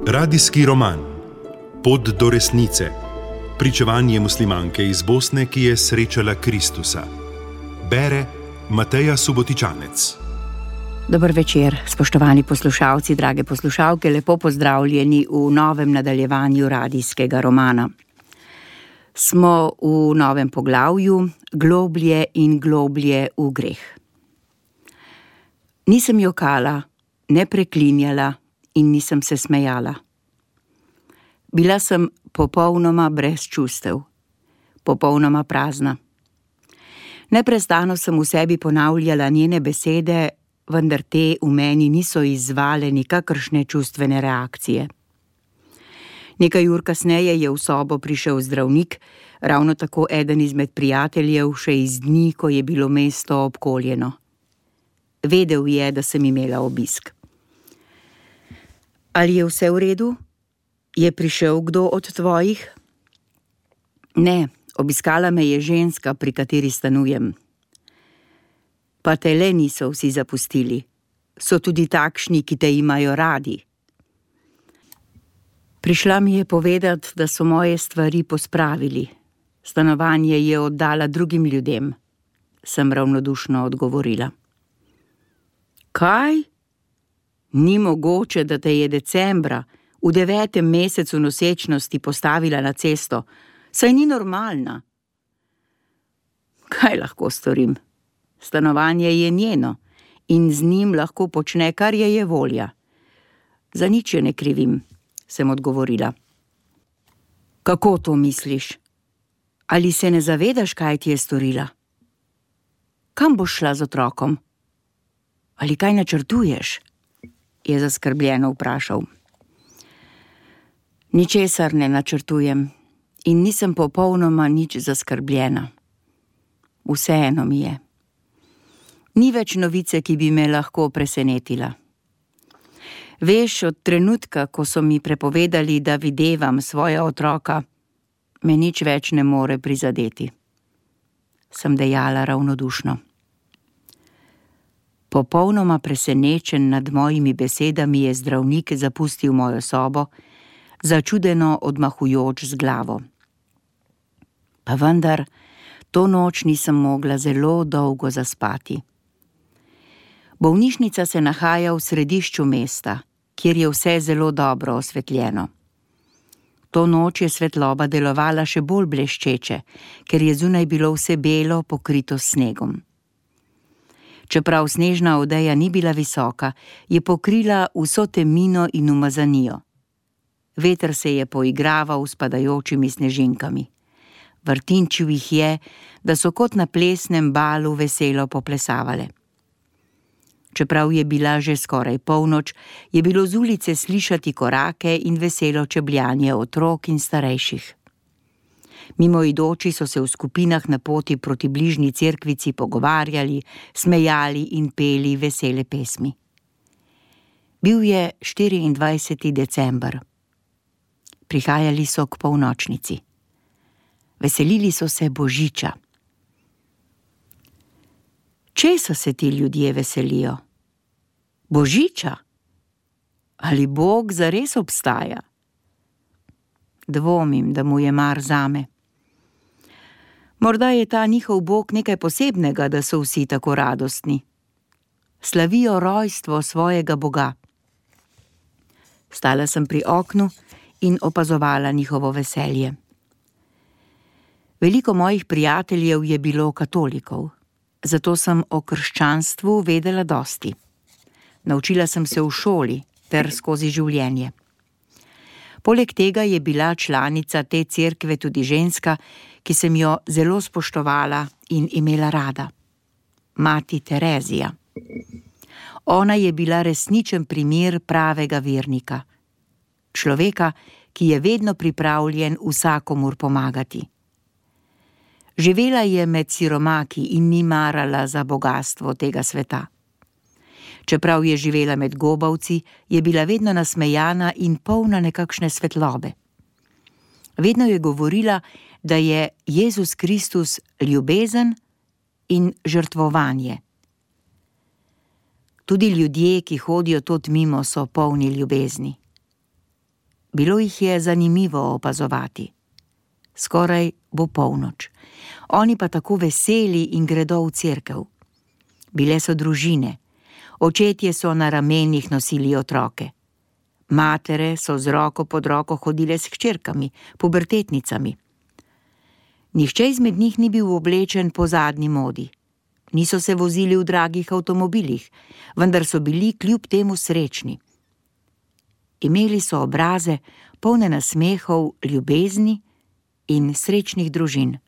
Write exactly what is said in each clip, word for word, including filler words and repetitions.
Radijski roman Pot do resnice. Pričevanje muslimanke iz Bosne, ki je srečala Kristusa. Bere Mateja Subotičanec. Dober večer, spoštovani poslušalci, drage poslušalke, lepo pozdravljeni v novem nadaljevanju radijskega romana. Smo v novem poglavju, globlje in globlje v greh. Nisem jokala, ne preklinjala in nisem se smejala. Bila sem popolnoma brez čustev, popolnoma prazna. Neprestano sem v sebi ponavljala njene besede, vendar te v meni niso izzvale nikakršne čustvene reakcije. Nekaj ur kasneje je v sobo prišel zdravnik, ravno tako eden izmed prijateljev, še iz dni, ko je bilo mesto obkoljeno. Vedel je, da sem imela obisk. Ali je vse v redu? Je prišel kdo od tvojih? Ne, obiskala me je ženska, pri kateri stanujem. Pa te le niso vsi zapustili. So tudi takšni, ki te imajo radi. Prišla mi je povedati, da so moje stvari pospravili. Stanovanje je oddala drugim ljudem, sem ravnodušno odgovorila. Kaj? Ni mogoče, da te je decembra, v devetem mesecu nosečnosti postavila na cesto, saj ni normalna. Kaj lahko storim? Stanovanje je njeno in z njim lahko počne, kar je je volja. Za nič je ne krivim, sem odgovorila. Kako to misliš? Ali se ne zavedaš, kaj ti je storila? Kam boš šla z otrokom? Ali kaj načrtuješ? Je zaskrbljeno vprašal. Ničesar ne načrtujem in nisem popolnoma nič zaskrbljena. Vseeno mi je. Ni več novice, ki bi me lahko presenetila. Veš, od trenutka, ko so mi prepovedali, da videvam svoja otroka, me nič več ne more prizadeti. Sem dejala ravnodušno. Popolnoma presenečen nad mojimi besedami je zdravnik zapustil mojo sobo, začudeno odmahujoč z glavo. Pa vendar, to noč nisem mogla zelo dolgo zaspati. Bolnišnica se nahaja v središču mesta, kjer je vse zelo dobro osvetljeno. To noč je svetloba delovala še bolj bleščeče, ker je zunaj bilo vse belo, pokrito s snegom. Čeprav snežna odeja ni bila visoka, je pokrila vso temnino in umazanijo. Veter se je poigraval s padajočimi snežinkami. Vrtinčil jih je, da so kot na plesnem balu veselo poplesavale. Čeprav je bila že skoraj polnoč, je bilo z ulice slišati korake in veselo čebljanje otrok in starejših. Mimoidoči so se v skupinah na poti proti bližnji cerkvici pogovarjali, smejali in peli vesele pesmi. Bil je štiriindvajseti december. Prihajali so k polnočnici. Veselili so se Božiča. Česa se ti ljudje veselijo? Božiča? Ali Bog zares obstaja? Dvomim, da mu je mar zame. Morda je ta njihov Bog nekaj posebnega, da so vsi tako radostni. Slavijo rojstvo svojega Boga. Stala sem pri oknu in opazovala njihovo veselje. Veliko mojih prijateljev je bilo katolikov, zato sem o krščanstvu vedela dosti. Naučila sem se v šoli ter skozi življenje. Poleg tega je bila članica te cerkve tudi ženska, ki sem jo zelo spoštovala in imela rada. Mati Terezija. Ona je bila resničen primer pravega vernika. Človeka, ki je vedno pripravljen vsakomur pomagati. Živela je med siromaki in ni marala za bogastvo tega sveta. Čeprav je živela med gobavci, je bila vedno nasmejana in polna nekakšne svetlobe. Vedno je govorila, da je Jezus Kristus ljubezen in žrtvovanje. Tudi ljudje, ki hodijo tod mimo, so polni ljubezni. Bilo jih je zanimivo opazovati. Skoraj bo polnoč. Oni pa tako veseli in gredo v cerkev. Bile so družine. Očetje so na ramenih nosili otroke. Matere so z roko pod roko hodile s hčerkami, pubertetnicami. Nihče izmed njih ni bil oblečen po zadnji modi. Niso se vozili v dragih avtomobilih, vendar so bili kljub temu srečni. Imeli so obraze, polne nasmehov, ljubezni in srečnih družin.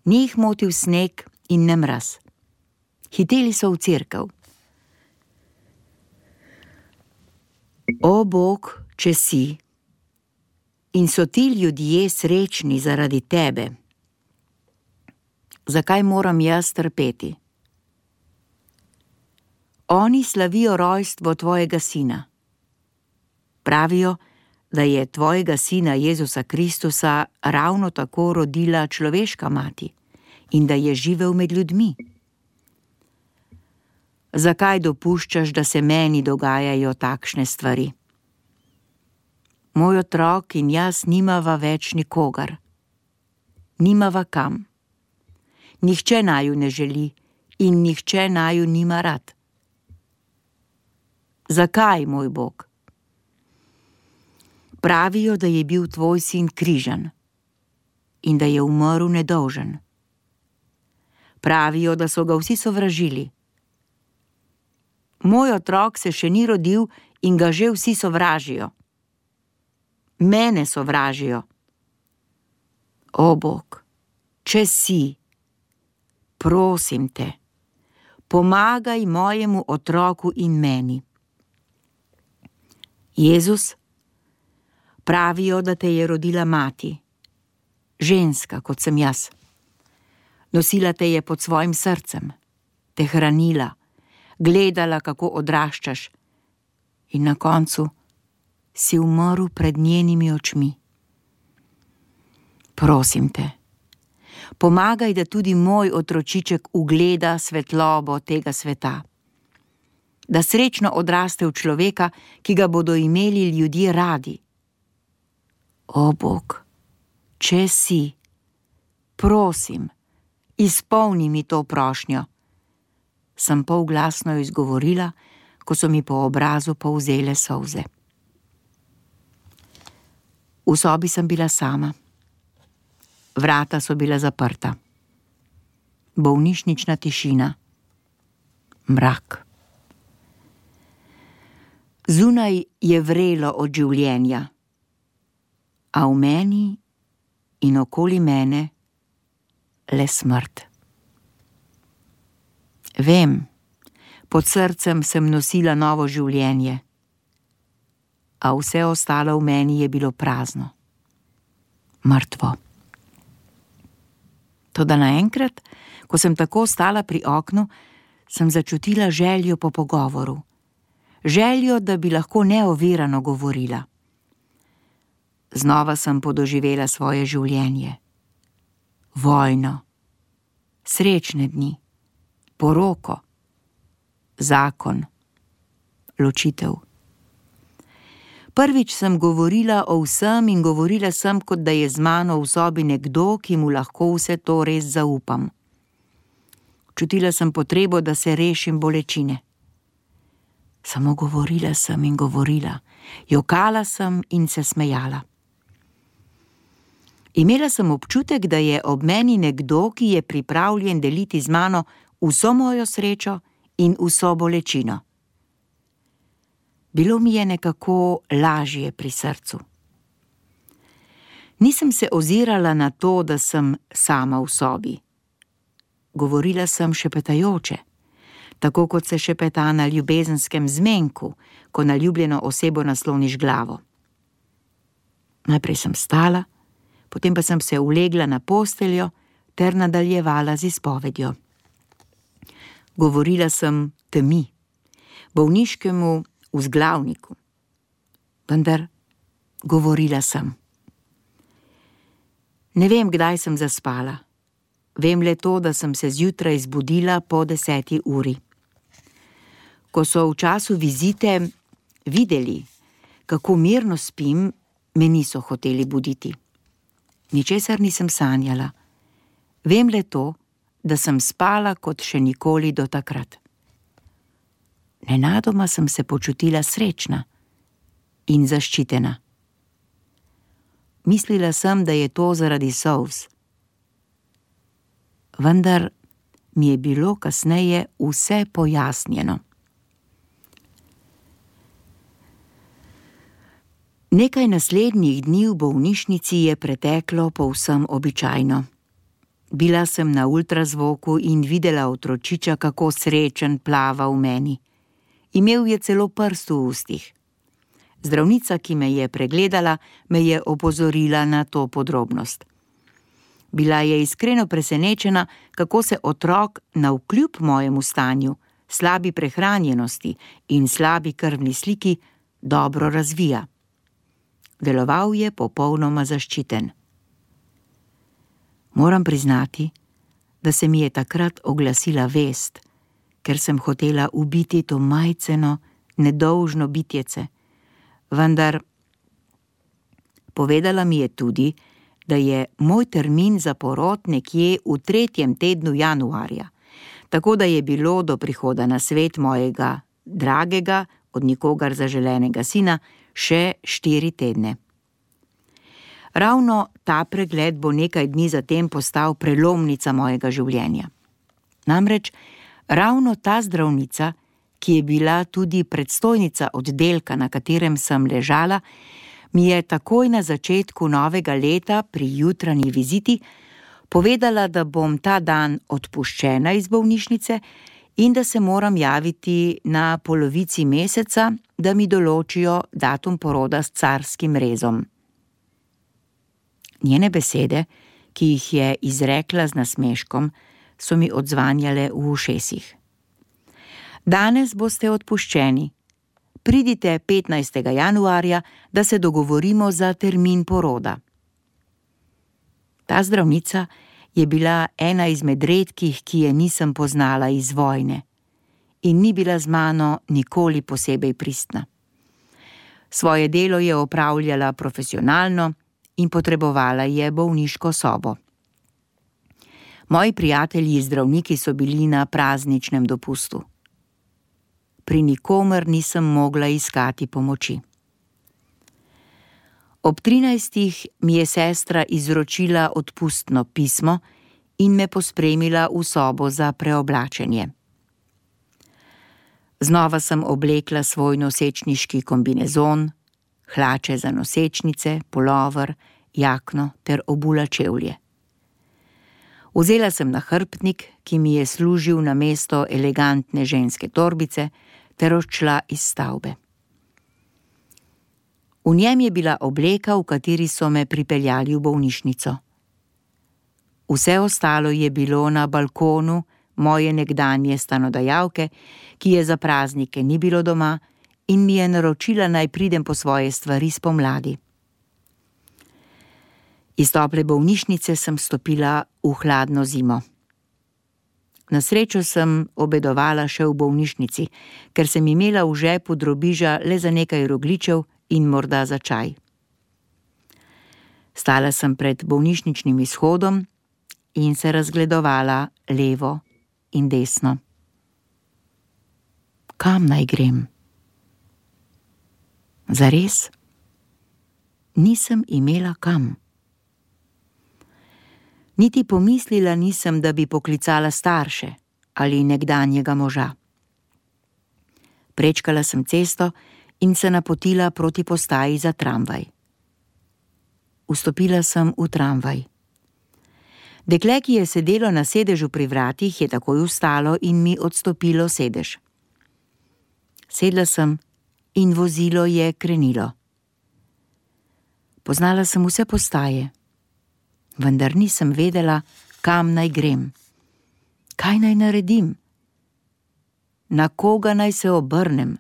Ni jih motil sneg in ne mraz. Hiteli so v cerkev. O Bog, če si, in so ti ljudje srečni zaradi tebe, zakaj moram jaz trpeti? Oni slavijo rojstvo tvojega sina. Pravijo, da je tvojega sina Jezusa Kristusa ravno tako rodila človeška mati in da je živel med ljudmi. Zakaj dopuščaš, da se meni dogajajo takšne stvari? Moj otrok in jaz nimava več nikogar. Nimava kam. Nihče naju ne želi in nihče naju nima rad. Zakaj, moj Bog? Pravijo, da je bil tvoj sin križan in da je umrl nedolžen. Pravijo, da so ga vsi sovražili. Moj otrok se še ni rodil in ga že vsi sovražijo. Mene sovražijo. O Bog, če si, prosim te, pomagaj mojemu otroku in meni. Jezus, pravijo, da te je rodila mati, ženska, kot sem jaz. Nosila te je pod svojim srcem, te hranila, gledala, kako odraščaš, in na koncu si umrl pred njenimi očmi. Prosim te, pomagaj, da tudi moj otročiček ugleda svetlobo tega sveta, da srečno odraste v človeka, ki ga bodo imeli ljudje radi. O Bog, če si, prosim, izpolni mi to prošnjo, sem polglasno izgovorila, ko so mi po obrazu polzele solze. V sobi sem bila sama. Vrata so bila zaprta. Bolnišnična tišina. Mrak. Zunaj je vrelo od življenja, a v meni in okoli mene le smrt. Vem, pod srcem sem nosila novo življenje, a vse ostalo v meni je bilo prazno, mrtvo. Toda naenkrat, ko sem tako stala pri oknu, sem začutila željo po pogovoru, željo, da bi lahko neovirano govorila. Znova sem podoživela svoje življenje, vojno, srečne dni, poroko, zakon, ločitev. Prvič sem govorila o vsem in govorila sem, kot da je z mano v sobi nekdo, ki mu lahko vse to res zaupam. Čutila sem potrebo, da se rešim bolečine. Samo govorila sem in govorila, jokala sem in se smejala. Imela sem občutek, da je ob meni nekdo, ki je pripravljen deliti z mano vso mojo srečo in vso bolečino. Bilo mi je nekako lažje pri srcu. Nisem se ozirala na to, da sem sama v sobi. Govorila sem šepetajoče, tako kot se šepeta na ljubezenskem zmenku, ko na ljubljeno osebo nasloniš glavo. Najprej sem stala, potem pa sem se ulegla na posteljo ter nadaljevala z izpovedjo. Govorila sem temi, bolniškemu vzglavniku, vendar govorila sem. Ne vem, kdaj sem zaspala. Vem le to, da sem se zjutraj zbudila po deseti uri. Ko so v času vizite videli, kako mirno spim, me niso hoteli buditi. Ničesar nisem sanjala. Vem le to, da sem spala kot še nikoli do takrat. Nenadoma sem se počutila srečna in zaščitena. Mislila sem, da je to zaradi solz. Vendar mi je bilo kasneje vse pojasnjeno. Nekaj naslednjih dni v bolnišnici je preteklo povsem običajno. Bila sem na ultrazvoku in videla otročiča, kako srečen plava v meni. Imel je celo prst v ustih. Zdravnica, ki me je pregledala, me je opozorila na to podrobnost. Bila je iskreno presenečena, kako se otrok navkljub mojemu stanju, slabi prehranjenosti in slabi krvni sliki dobro razvija. Deloval je popolnoma zaščiten. Moram priznati, da se mi je takrat oglasila vest, ker sem hotela ubiti to majceno, nedolžno bitjece. Vendar povedala mi je tudi, da je moj termin za porod nekje v tretjem tednu januarja, tako da je bilo do prihoda na svet mojega dragega, od nikogar zaželenega sina še štiri tedne. Ravno ta pregled bo nekaj dni zatem postal prelomnica mojega življenja. Namreč ravno ta zdravnica, ki je bila tudi predstojnica oddelka, na katerem sem ležala, mi je takoj na začetku novega leta pri jutranji viziti povedala, da bom ta dan odpuščena iz bolnišnice in da se moram javiti na polovici meseca, da mi določijo datum poroda s carskim rezom. Njene besede, ki jih je izrekla z nasmeškom, so mi odzvanjale v ušesih. Danes boste odpuščeni. Pridite petnajstega januarja, da se dogovorimo za termin poroda. Ta zdravnica je bila ena izmed redkih, ki je nisem poznala iz vojne in ni bila z mano nikoli posebej pristna. Svoje delo je opravljala profesionalno in potrebovala je bolniško sobo. Moji prijatelji zdravniki so bili na prazničnem dopustu. Pri nikomer nisem mogla iskati pomoči. Ob trinajstih mi je sestra izročila odpustno pismo in me pospremila v sobo za preoblačenje. Znova sem oblekla svoj nosečniški kombinezon, hlače za nosečnice, pulover, jakno ter obula čevlje. Vzela sem nahrbtnik, ki mi je služil namesto elegantne ženske torbice, ter odšla iz stavbe. V njem je bila obleka, v kateri so me pripeljali v bolnišnico. Vse ostalo je bilo na balkonu moje nekdanje stanodajalke, ki je za praznike ni bilo doma in mi je naročila, naj pridem po svoje stvari spomladi. Iz tople bolnišnice sem stopila v hladno zimo. Na srečo sem obedovala še v bolnišnici, ker sem imela v žepu drobiža le za nekaj rogljičev in morda za čaj. Stala sem pred bolnišničnim izhodom in se razgledovala levo in desno. Kam naj grem? Zares? Nisem imela kam. Niti pomislila nisem, da bi poklicala starše ali nekdanjega moža. Prečkala sem cesto in se napotila proti postaji za tramvaj. Vstopila sem v tramvaj. Dekle, ki je sedelo na sedežu pri vratih, je takoj vstalo in mi odstopilo sedež. Sedla sem in vozilo je krenilo. Poznala sem vse postaje, vendar nisem vedela, kam naj grem. Kaj naj naredim? Na koga naj se obrnem?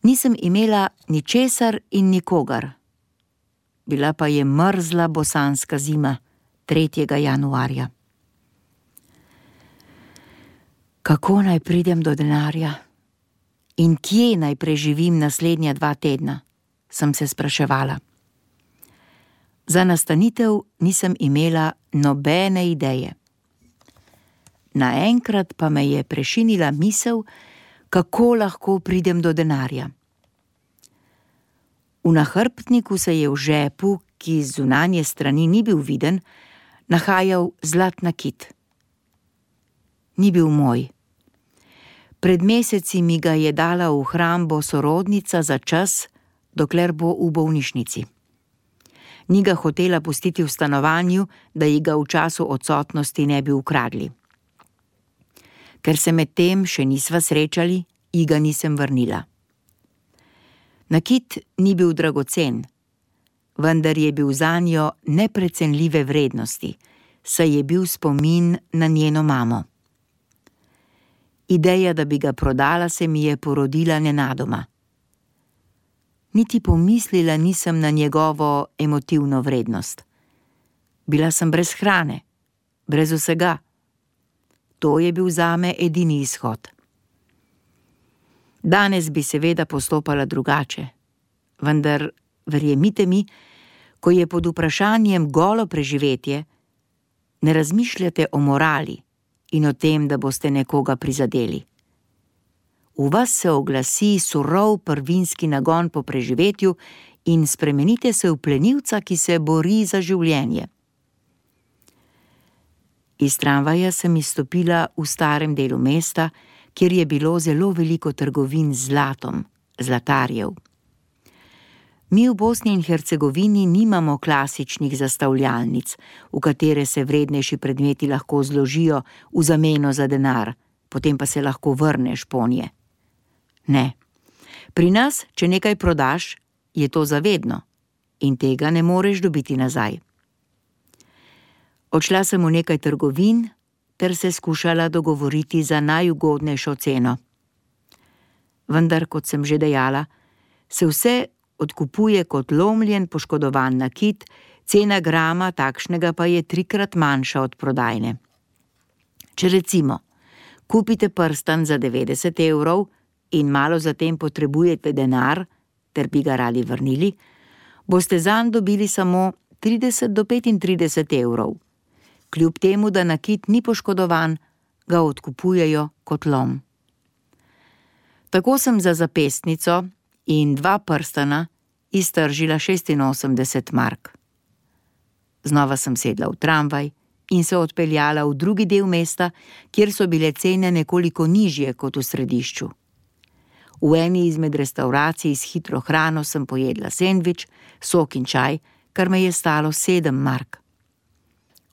Nisem imela ničesar in nikogar. Bila pa je mrzla bosanska zima, tretjega januarja. Kako naj pridem do denarja? In kje naj preživim naslednja dva tedna? Sem se spraševala. Za nastanitev nisem imela nobene ideje. Naenkrat pa me je prešinila misel, kako lahko pridem do denarja. V nahrbtniku se je v žepu, ki z zunanje strani ni bil viden, nahajal zlat nakit. Ni bil moj. Pred meseci mi ga je dala v hrambo sorodnica za čas, dokler bo v bolnišnici. Ni ga hotela pustiti v stanovanju, da ji ga v času odsotnosti ne bi ukradli. Ker se med tem še nisva srečali, ji ga nisem vrnila. Nakit ni bil dragocen, vendar je bil zanjo neprecenljive vrednosti, saj je bil spomin na njeno mamo. Ideja, da bi ga prodala, se mi je porodila nenadoma. Niti pomislila nisem na njegovo emotivno vrednost. Bila sem brez hrane, brez vsega. To je bil zame edini izhod. Danes bi seveda postopala drugače, vendar, verjemite mi, ko je pod vprašanjem golo preživetje, ne razmišljate o morali in o tem, da boste nekoga prizadeli. V vas se oglasi surov prvinski nagon po preživetju in spremenite se v plenilca, ki se bori za življenje. Iz tramvaja sem izstopila v starem delu mesta, kjer je bilo zelo veliko trgovin z zlatom, zlatarjev. Mi v Bosni in Hercegovini nimamo klasičnih zastavljalnic, v katere se vrednejši predmeti lahko zložijo v zameno za denar, potem pa se lahko vrneš ponje. Ne. Pri nas, če nekaj prodaš, je to zavedno in tega ne moreš dobiti nazaj. Odšla sem v nekaj trgovin ter se skušala dogovoriti za najugodnejšo ceno. Vendar, kot sem že dejala, se vse odkupuje kot lomljen poškodovan nakit, cena grama takšnega pa je trikrat manjša od prodajne. Če recimo kupite prstan za devetdeset evrov in malo zatem potrebujete denar, ter bi ga radi vrnili, boste zanj dobili samo trideset do petintrideset evrov. Kljub temu, da nakit ni poškodovan, ga odkupujejo kot lom. Tako sem za zapestnico in dva prstana iztržila šestinosemdeset mark. Znova sem sedla v tramvaj in se odpeljala v drugi del mesta, kjer so bile cene nekoliko nižje kot v središču. V eni izmed restavracij s hitro hrano sem pojedla sendvič, sok in čaj, kar me je stalo sedem mark.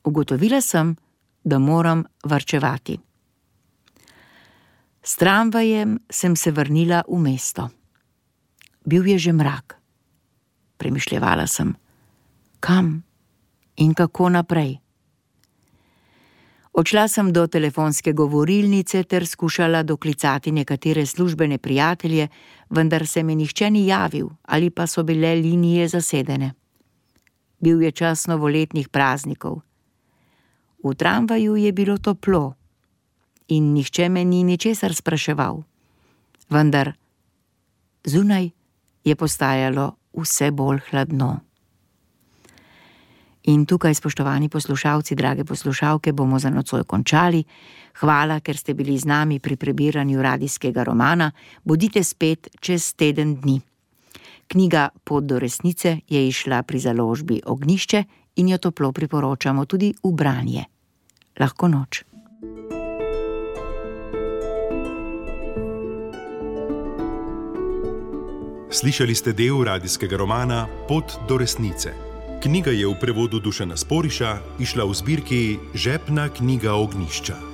Ugotovila sem, da moram varčevati. S tramvajem sem se vrnila v mesto. Bil je že mrak. Premišljevala sem, kam in kako naprej. Odšla sem do telefonske govorilnice ter skušala doklicati nekatere službene prijatelje, vendar se mi nihče ni javil ali pa so bile linije zasedene. Bil je čas novoletnih praznikov. V tramvaju je bilo toplo in nihče me ni ničesar spraševal. Vendar zunaj je postajalo vse bolj hladno. In tukaj, spoštovani poslušalci, drage poslušalke, bomo za nocoj končali. Hvala, ker ste bili z nami pri prebiranju radijskega romana. Bodite spet čez teden dni. Knjiga Pot do resnice je izšla pri založbi Ognjišče in jo toplo priporočamo tudi v branje. Lahko noč. Slišali ste del radijskega romana Pot do resnice. Knjiga je v prevodu Dušana Sporiša izšla v zbirki Žepna knjiga Ognjišča.